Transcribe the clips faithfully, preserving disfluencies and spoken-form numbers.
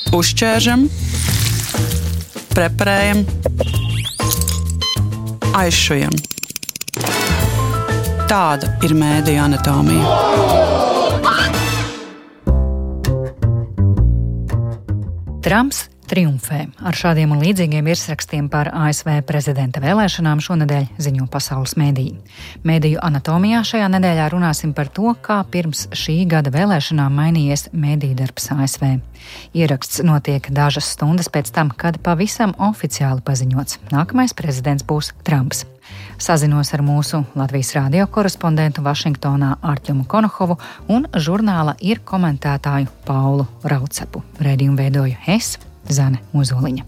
Uzķēršam, preparējam, aizšujam. Tāda ir mēdīju anatomija. Trumps triumfē. Ar šādiem un līdzīgiem virsrakstiem par A S V prezidenta vēlēšanām šonedēļ ziņo pasaules mēdīji. Mēdīju anatomijā šajā nedēļā runāsim par to, kā pirms šī gada vēlēšanām mainījies mēdīju darbs A S V. Ieraksts notiek dažas stundas pēc tam, kad pavisam oficiāli paziņots: nākamais prezidents būs Trumps. Sazinos ar mūsu Latvijas radio korespondentu Vašingtonā Artjumu Konohovu un žurnāla Ir komentētāju Paulu Raucepu. Raidījumu veidoju es, Zane Ozoliņa.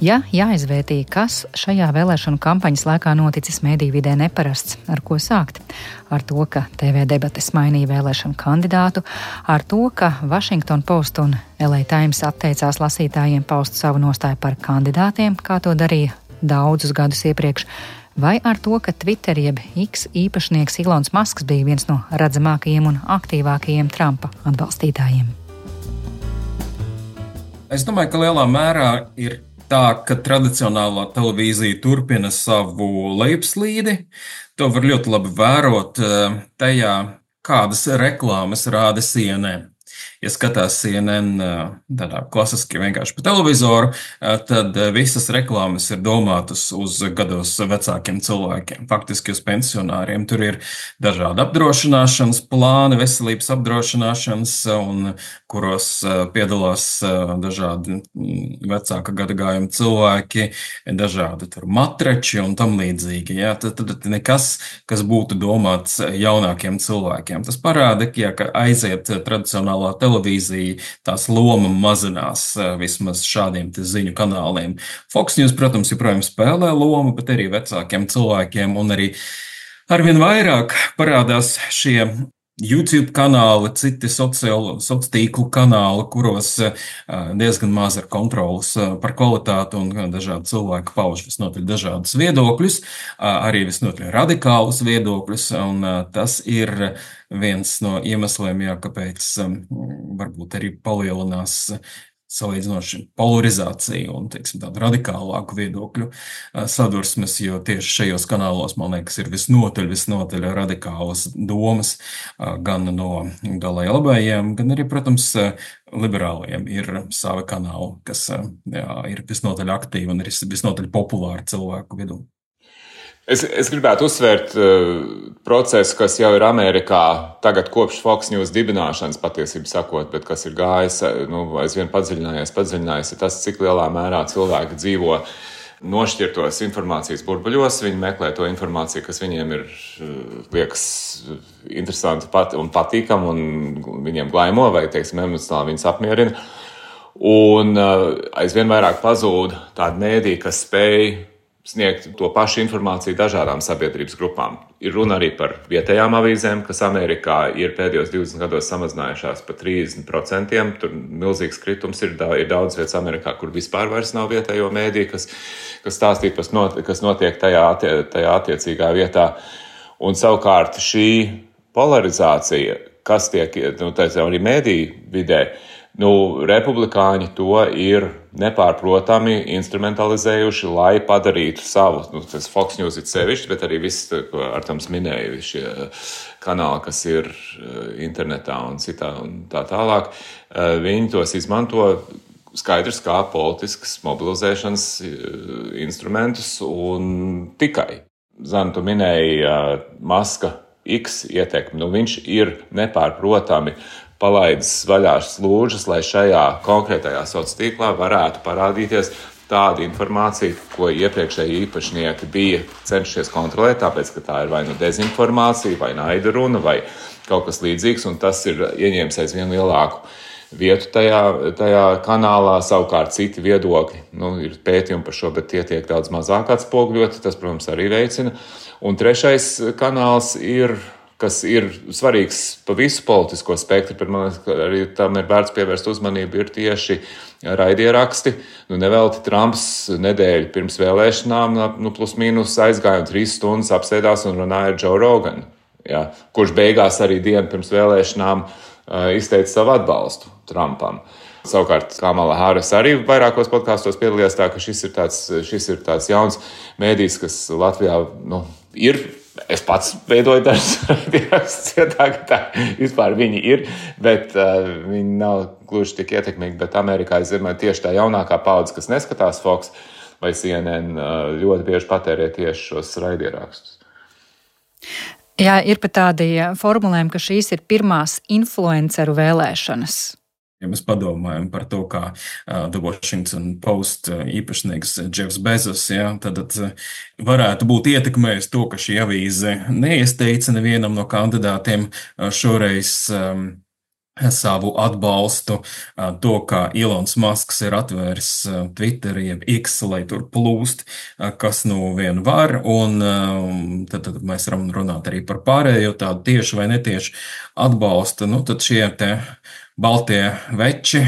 Ja jāizvērtī, kas šajā vēlēšanu kampaņas laikā noticis mēdīju vidē neparasts, ar ko sākt? Ar to, ka T V debates mainīja vēlēšanu kandidātu, ar to, ka Washington Post un L A Times atteicās lasītājiem paust savu nostāju par kandidātiem, kā to darīja daudzus gadus iepriekš, vai ar to, ka Twitter jeb X īpašnieks Ilons Masks bija viens no redzamākajiem un aktīvākajiem Trumpa atbalstītājiem. Es domāju, ka lielā mērā ir tā, ka tradicionālā televīzija turpina savu lejupslīdi. To var ļoti labi vērot tajā, kādas reklāmas rāda C N N. Ja skatās C N N tādā klasiski vienkārši pa televizoru, tad visas reklāmas ir domātas uz gados vecākiem cilvēkiem, faktiski uz pensionāriem. Tur ir dažādi apdrošināšanas plāni, veselības apdrošināšanas, un kuros piedalās dažādi vecāka gadagājuma cilvēki, dažādi tur matreči un tam līdzīgi. Ja? Tad, tad nekas, kas būtu domāts jaunākiem cilvēkiem. Tas parāda, ja, ka aiziet tradicionālā televīzija, tās loma mazinās vismaz šādiem te ziņu kanāliem. Fox News, protams, joprojām spēlē lomu, bet arī vecākiem cilvēkiem, un arī arvien vairāk parādās šie YouTube kanāli, citi sociālo tīklu kanāli, kuros diezgan maz ir kontrolas par kvalitāti, un dažādi cilvēki pauž visnotaļ dažādus viedokļus, arī visnotaļ radikālus viedokļus, un tas ir viens no iemesliem, jā, kāpēc varbūt arī palielinās salīdzinoši polarizācija un, teiksim, tādu radikālāku viedokļu sadursmes, jo tieši šajos kanālos, man liekas, ir visnotaļ, visnotaļ radikālas domas, gan no galēji labējiem, gan arī, protams, liberālajiem ir savi kanāli, kas jā, ir visnotaļ aktīvi un ir visnotaļ populāri cilvēku vidū. Es, es gribētu uzsvērt uh, procesu, kas jau ir Amerikā tagad kopš Fox News dibināšanas, patiesībā sakot, bet kas ir gājis, nu, aizvien padziļinājies, padziļinājies, ir tas, cik lielā mērā cilvēki dzīvo nošķirtos informācijas burbuļos. Viņi meklē to informāciju, kas viņiem ir, liekas, interesanti pat, un patīkam, un viņiem glaimo, vai, teiksim, emocionāli viņus apmierina. Un uh, aizvien vairāk pazūd tādi mēdī, kas spēj sniegt to pašu informāciju dažādām sabiedrības grupām. Ir runa arī par vietējām avīzēm, kas Amerikā ir pēdējos divdesmit gados samazinājušās par trīsdesmit procentiem. Tur milzīgs kritums ir, ir daudz vietas Amerikā, kur vispār vairs nav vietējo mēdī, kas, kas stāstīja, kas notiek tajā, tajā attiecīgā vietā. Un savukārt šī polarizācija, kas tiek, nu, teicam, arī mēdī vidē, nu, republikāņi to ir nepārprotami instrumentalizējuši, lai padarītu savu, nu, tas Fox News ir sevišķi, bet arī viss, ko Artams minēja, šie kanāli, kas ir internetā un citā un tā tālāk, viņi tos izmanto skaidrs kā politiskas mobilizēšanas instrumentus un tikai. Zana, tu minēji Maska X ietekmi, nu, viņš ir nepārprotami palaidis vaļā slūžas, lai šajā konkrētajā sociālajā tīklā varētu parādīties tāda informācija, ko iepriekšēji īpašnieki bija cenšies kontrolēt, tāpēc, ka tā ir vai nu dezinformācija, vai naida runa, vai kaut kas līdzīgs, un tas ir ieņēmis aizvien lielāku vietu tajā, tajā kanālā. Savukārt citi viedokļi, nu, ir pētījumi par šo, bet tie tiek daudz mazāk atspoguļoti, tas, protams, arī veicina. Un trešais kanāls ir, kas ir svarīgs pa visu politisko spektru, bet man liekas, ka arī tam ir vērts pievērst uzmanību, ir tieši raidieraksti. Nu, nevelti Trumps nedēļu pirms vēlēšanām, nu, plus mīnus aizgāja un trīs stundas apsēdās un runāja ar Joe Roganu, ja, kurš beigās arī dienu pirms vēlēšanām izteica savu atbalstu Trumpam. Savukārt Kamala Harris arī vairākos podkāstos piedalījās tā, ka šis ir tāds, šis ir tāds jauns mēdījis, kas Latvijā nu, ir. Es pats veidoju dažas raidījumus, tā ka tā vispār viņi ir, bet uh, viņi nav gluži tik ietekmīgi. Bet Amerikā, es zinu, tieši tā jaunākā paudze, kas neskatās Fox vai C N N, uh, ļoti bieži patērē tieši šos raidījumrakstus. Jā, ir pat tādi formulējumi, ka šīs ir pirmās influenceru vēlēšanas. Ja mēs padomājam par to, kā uh, The Washington Post uh, īpašnieks Jeffs Bezos, ja, tad uh, varētu būt ietekmējis to, ka šī avīze neiesteica nevienam no kandidātiem uh, šoreiz um, savu atbalstu, uh, to, kā Elons Musks ir atvēris uh, Twitter, jeb X, lai tur plūst, uh, kas nu vien var, un uh, tad, tad mēs varam runāt arī par pārējo tādu tieši vai netieši atbalstu, nu tad šie te baltie veči,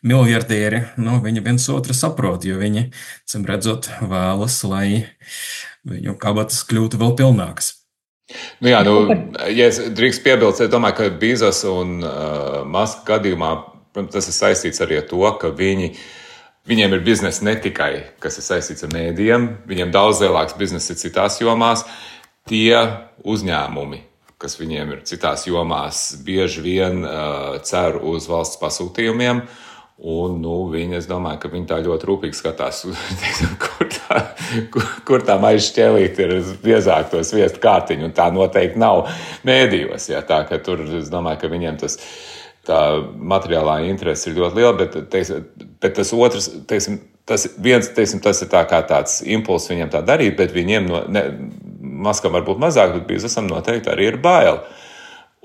miljardieri, nu, viņi viens otru saprot, jo viņi, cim redzot, vēlas, lai viņu kabatas kļūtu vēl pilnākas. Nu jā, nu, ja es drīkst piebilst, es domāju, ka Bezos un uh, Muska gadījumā, tas ir saistīts arī ar to, ka viņi, viņiem ir biznesa ne tikai, kas ir saistīts ar mēdījiem, viņiem daudz lielāks biznesa ir citās jomās, tie uzņēmumi, kas viņiem ir citās jomās, bieži vien uh, cer uz valsts pasūtījumiem, un nu, viņi, es domāju, ka viņi tā ļoti rūpīgi skatās, teiksim, kur tā, kur, kur tā maiža šķēlīt ir biezāk to sviestu kārtiņu, un tā noteikti nav mēdījos, jā, tā, ka tur, es domāju, ka viņiem tas, tā materiālā interese ir ļoti liela, bet, teiksim, bet tas otrs, teiksim, tas viens, teiksim, tas ir tā kā tāds impulss viņiem tā darīt, bet viņiem no, ne, Maskam varbūt mazāk, bet Bezosam noteikti arī ir bail.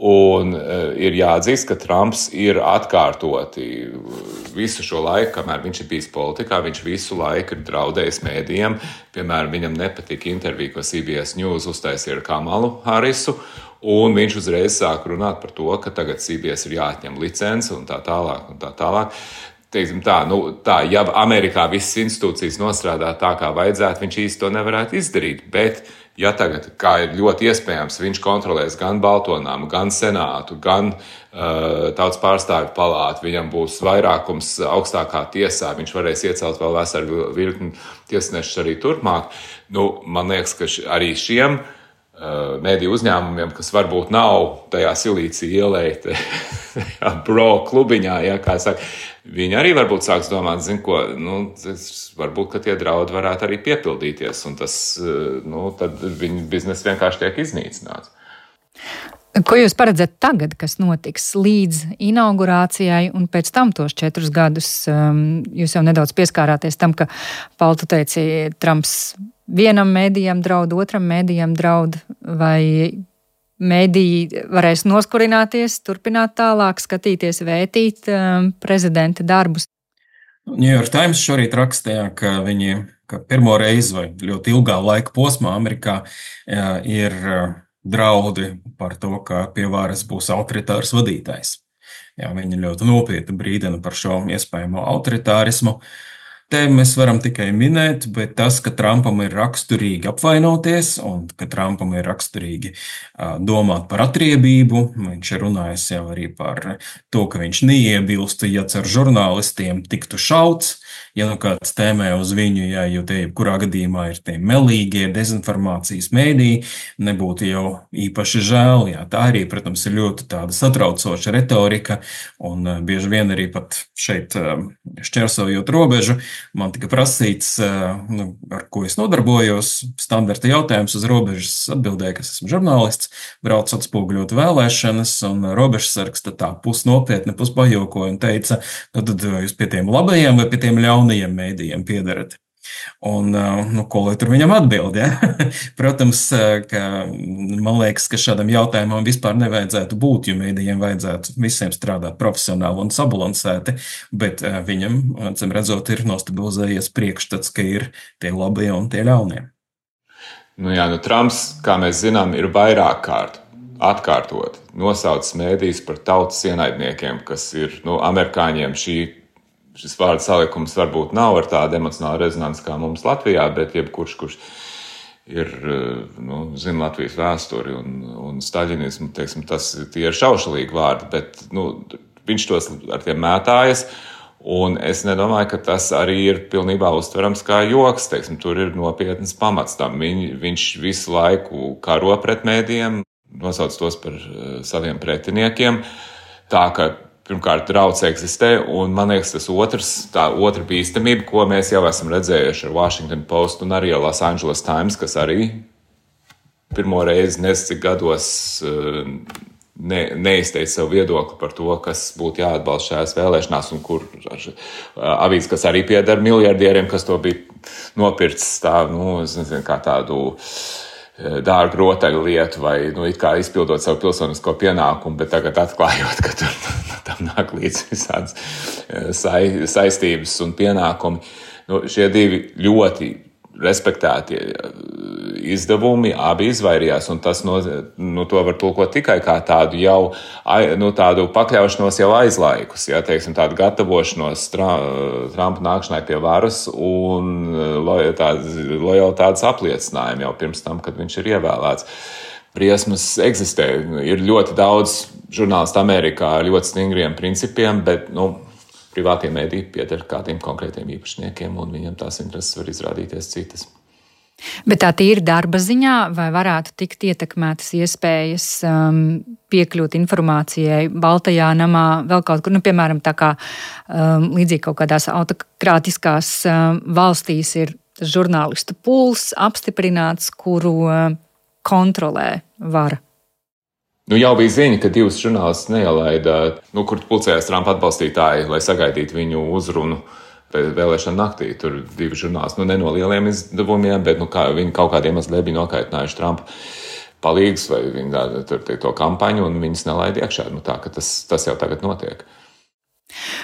Un uh, ir jāatzīst, ka Trumps ir atkārtoti visu šo laiku, kamēr viņš ir bijis politikā, viņš visu laiku ir draudējis mēdījiem. Piemēram, viņam nepatika intervija, ko C B S News uztaisīja ar Kamalu Harrisu, un viņš uzreiz sāk runāt par to, ka tagad C B S ir jāatņem licence un tā tālāk un tā tālāk. Teiksim tā, nu, tā, ja Amerikā visas institūcijas nostrādā tā, kā vajadzētu, viņš īsti to nevarētu izdarīt, bet ja tagad, kā ir ļoti iespējams, viņš kontrolēs gan Baltonām, gan Senātu, gan uh, Tautas pārstāvju palātu, viņam būs vairākums augstākā tiesā, viņš varēs iecelt vēl veselu virkni tiesnešus arī turpmāk. Nu, man liekas, ka š, arī šiem uh, mediju uzņēmumiem, kas varbūt nav tajā Silīcija ielē, bro klubiņā, ja, kā saka, viņi arī varbūt sāks domāt, zin ko, nu, varbūt, ka tie draudi varētu arī piepildīties, un tas, nu, tad viņu biznesa vienkārši tiek iznīcināts. Ko jūs paredzat tagad, kas notiks līdz inaugurācijai un pēc tam tos četrus gadus? Jūs jau nedaudz pieskārāties tam, ka, Paul, tu teici, Trumps vienam mēdījam draud, otram mēdījam draud, vai mēdīji varēs noskurināties, turpināt tālāk, skatīties, vētīt um, prezidenta darbus? New York Times šorīt rakstīja, ka viņi ka pirmo reizi vai ļoti ilgā laika posmā Amerikā jā, ir draudi par to, ka pie varas būs autoritārs vadītājs. Jā, viņi ļoti nopietni brīdina par šo iespējamo autoritārismu. Te mēs varam tikai minēt, bet tas, ka Trumpam ir raksturīgi apvainoties un ka Trumpam ir raksturīgi uh, domāt par atriebību, viņš ir runājis jau arī par to, ka viņš neiebilstu, ja ar žurnālistiem tiktu šauts, ja nu kāds tēmē uz viņu, ja, jo te jebkurā gadījumā ir tie melīgie dezinformācijas mēdī, nebūtu jau īpaši žēl. Jā, tā arī, protams, ir ļoti tāda satraucoša retorika un uh, bieži vien arī pat šeit uh, šķērsojot robežu, man tika prasīts, nu, ar ko es nodarbojos, standarta jautājums uz robežas atbildēja, ka esmu žurnālists, brauc atspoguļot vēlēšanas, un robežsargs tā pusnopietni, puspajokoja un teica, nu, tad jūs pie tiem labajiem vai pie tiem ļaunajiem mēdījiem piedarat. Un, nu, ko lai tur viņam atbild, ja? Protams, ka man liekas, ka šādam jautājumam vispār nevajadzētu būt, jo mēdījiem vajadzētu visiem strādāt profesionāli un sabalansēti, bet viņam, cim redzot, ir nostabilizējies priekšstats, ka ir tie labie un tie ļaunie. Nu jā, nu Trumps, kā mēs zinām, ir vairāk kārt atkārtot nosaucis mēdījus par tautas ienaidniekiem, kas ir, nu, amerikāņiem šī Šis vārdu salikums varbūt nav ar tādu emocionālu rezonanci kā mums Latvijā, bet jebkurš, kurš ir, nu, zina Latvijas vēsturi un, un staļinismu, teiksim, tas tie ir šaušalīgi vārdi, bet, nu, viņš tos ar tiem mētājas, un es nedomāju, ka tas arī ir pilnībā uztverams kā joks, teiksim, tur ir nopietnas pamats tam. Viņ, viņš visu laiku karo pret mēdījiem, nosauc tos par saviem pretiniekiem, tā ka pirmkārt, drauds eksistē, un man liekas, tas otrs, tā otra bīstamība, ko mēs jau esam redzējuši ar Washington Post un arī Los Angeles Times, kas arī pirmo reizi nezinu cik gados ne, neizteica savu viedokli par to, kas būtu jāatbalsta šajās vēlēšanās, un kur avīzes, kas arī pieder miljardieriem, kas to bija nopircis tā, nu, es nezinu, kā tādu dārgu rotaļu lietu vai, nu, it kā izpildot savu pilsonisko pienākumu, bet tagad atklājot, ka tur tam nāk līdz visādas sai, saistības un pienākumi. Nu, šie divi ļoti respektētie izdevumi abi izvairījās, un tas no, nu, to var tulkot tikai kā tādu jau, nu, tādu pakļaušanos jau aizlaikus, ja, teiksim, tādu gatavošanos Trumpa nākšanai pie varas un lojalitātes apliecinājumu jau pirms tam, kad viņš ir ievēlēts. Briesmas eksistē. Ir ļoti daudz žurnālistu Amerikā ar ļoti stingriem principiem, bet, nu, privātie mediji pieder kādiem konkrētiem īpašniekiem, un viņam tās intereses var izrādīties citas. Bet tā tīri darba ziņā, vai varētu tikt ietekmētas iespējas um, piekļūt informācijai Baltajā namā, vēl kaut kur, nu, piemēram, tā kā um, līdzīgi kaut kādās autokrātiskās um, valstīs ir žurnālistu pūls apstiprināts, kuru um, kontrolē vara. Nu, jau bija ziņa, ka divas žurnālistas neielaida, nu, kur pulcējās Trumpa atbalstītāji, lai sagaidītu viņu uzrunu vēlēšana naktī. Tur divi žurnālisti, nu, ne no lieliem izdevumiem, bet, nu, kā, viņi kaut kādiem iemesliem bija nokaitinājuši Trumpa palīgus vai viņa tur to kampaņu, un viņas nelaida iekšā. Nu, tā, ka tas, tas jau tagad notiek.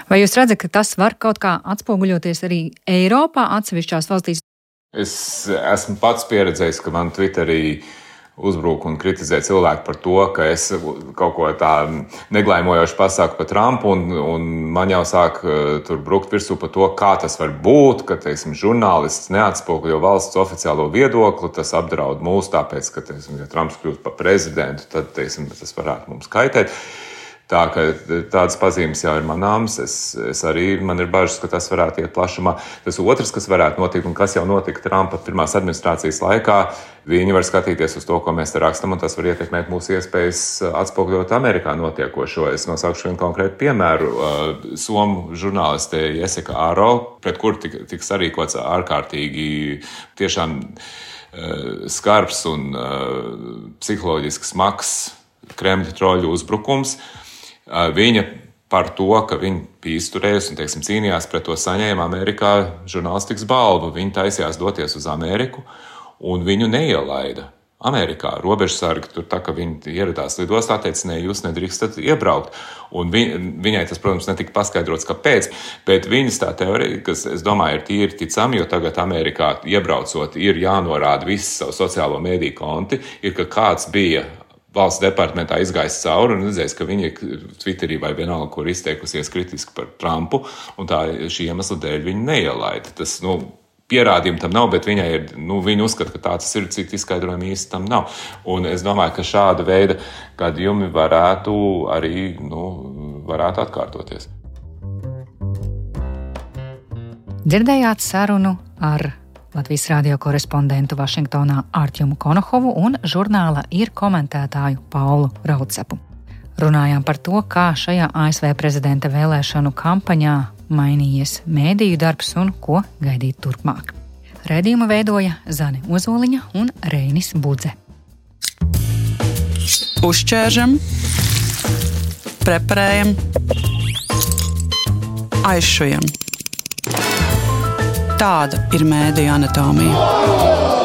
Vai jūs redzat, ka tas var kaut kā atspoguļoties arī Eiropā, atsevišķās valstīs? Es esmu pats pieredzējis, ka man Twitterī uzbruk un kritizē cilvēku par to, ka es kaut ko tā neglaimojoši pasaku par Trumpu, un, un man jau sāk tur brukt virsū par to, kā tas var būt, ka, teiksim, žurnālists neatspoguļo valsts oficiālo viedokli, tas apdraud mūs, tāpēc, ka, teiksim, ja Trumps kļūst par prezidentu, tad, teiksim, tas varētu mums kaitēt. Tā, ka tādas pazīmes jau ir manāmas, es, es arī, man ir bažas, ka tas varētu iet plašumā. Tas otrs, kas varētu notikt, un kas jau notika Trumpa pirmās administrācijas laikā, viņi var skatīties uz to, ko mēs te rakstam, un tas var ietekmēt mūsu iespējas atspoguļot Amerikā notiekošo. Es nosaukšu vienu konkrētu piemēru. Somu žurnāliste Jessica Aro, pret kur tik, tiks arī kaut kāds ārkārtīgi tiešām skarbs un psiholoģiski smags Kremļa troļu uzbrukums. Viņa par to, ka viņa bija izturējusi un, teiksim, cīnījās pret to saņēma Amerikā žurnālistikas balvu. Viņa taisījās doties uz Ameriku, un viņu neielaida Amerikā. Robežsargi tur tā, ka viņi ieradās lidostā, teica, ne, jūs nedrīkstat iebraukt. Un vi, viņai tas, protams, netika paskaidrots, kāpēc, bet viņas tā teorija, kas, es domāju, ir tīri ticami, jo tagad Amerikā iebraucot ir jānorāda visi savu sociālo mediju konti, ir, ka kāds bija valsts departamentā izgājis cauri un redzējis, ka viņi Twitterī vai vienalga, kur izteikusies kritiski par Trumpu, un tā šī iemesla dēļ viņi neielaida. Tas, nu, pierādījumi tam nav, bet viņai ir, nu, viņi uzskata, ka tā tas ir, cik izskaidrojumi īsti tam nav. Un es domāju, ka šāda veida gadījumi varētu arī, nu, varētu atkārtoties. Dzirdējāt sarunu ar Latvijas radio korespondentu Vašingtonā Artjumu Konohovu un žurnāla Ir komentētāju Paulu Raucepu. Runājām par to, kā šajā A S V prezidenta vēlēšanu kampaņā mainījies mēdīju darbs un ko gaidīt turpmāk. Raidījumu veidoja Zane Ozoliņa un Reinis Budze. Uzķēršam, preparējam, aizšujam. Tāda ir mēdīju anatomija.